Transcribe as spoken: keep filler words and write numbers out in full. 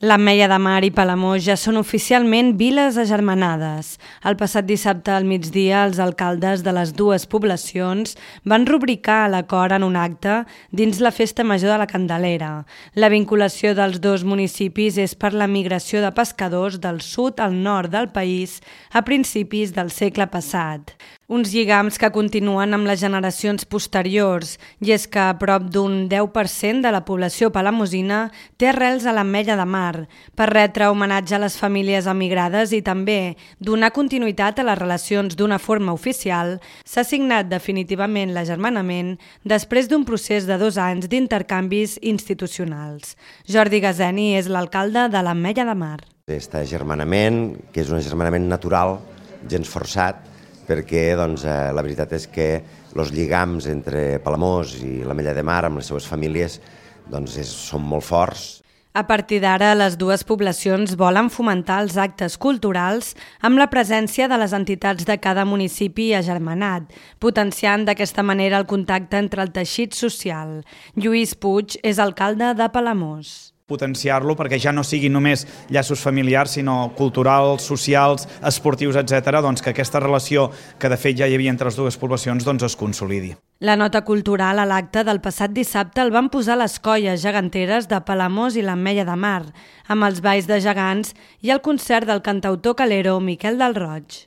L'Ametlla de Mar i Palamós ja són oficialment viles agermanades. El passat dissabte al migdia, els alcaldes de les dues poblacions van rubricar l'acord en un acte dins la Festa Major de la Candelera. La vinculació dels dos municipis és per la migració de pescadors del sud al nord del país a principis del segle passat. Uns lligams que continuen amb les generacions posteriors, i és que a prop d'un deu per cent de la població palamosina té arrels a l'Ametlla de Mar, per retre homenatge a les famílies emigrades i també donar continuïtat a les relacions d'una forma oficial, s'ha signat definitivament l'agermanament després d'un procés de dos anys d'intercanvis institucionals. Jordi Gazeni és l'alcalde de l'Ametlla de Mar. Aquest agermanament, que és un agermanament natural, gens forçat, perquè doncs, eh, la veritat és que els lligams entre Palamós i l'Ametlla de Mar amb les seves famílies doncs, és, són molt forts. A partir d'ara, les dues poblacions volen fomentar els actes culturals amb la presència de les entitats de cada municipi agermanat, potenciant d'aquesta manera el contacte entre el teixit social. Lluís Puig és alcalde de Palamós. Potenciar-lo perquè ja no siguin només llaços familiars, sinó culturals, socials, esportius, etcètera, doncs que aquesta relació que de fet ja hi havia entre les dues poblacions doncs es consolidi. La nota cultural a l'acte del passat dissabte el van posar les colles geganteres de Palamós i l'Ametlla de Mar, amb els balls de gegants i el concert del cantautor calero Miquel del Roig.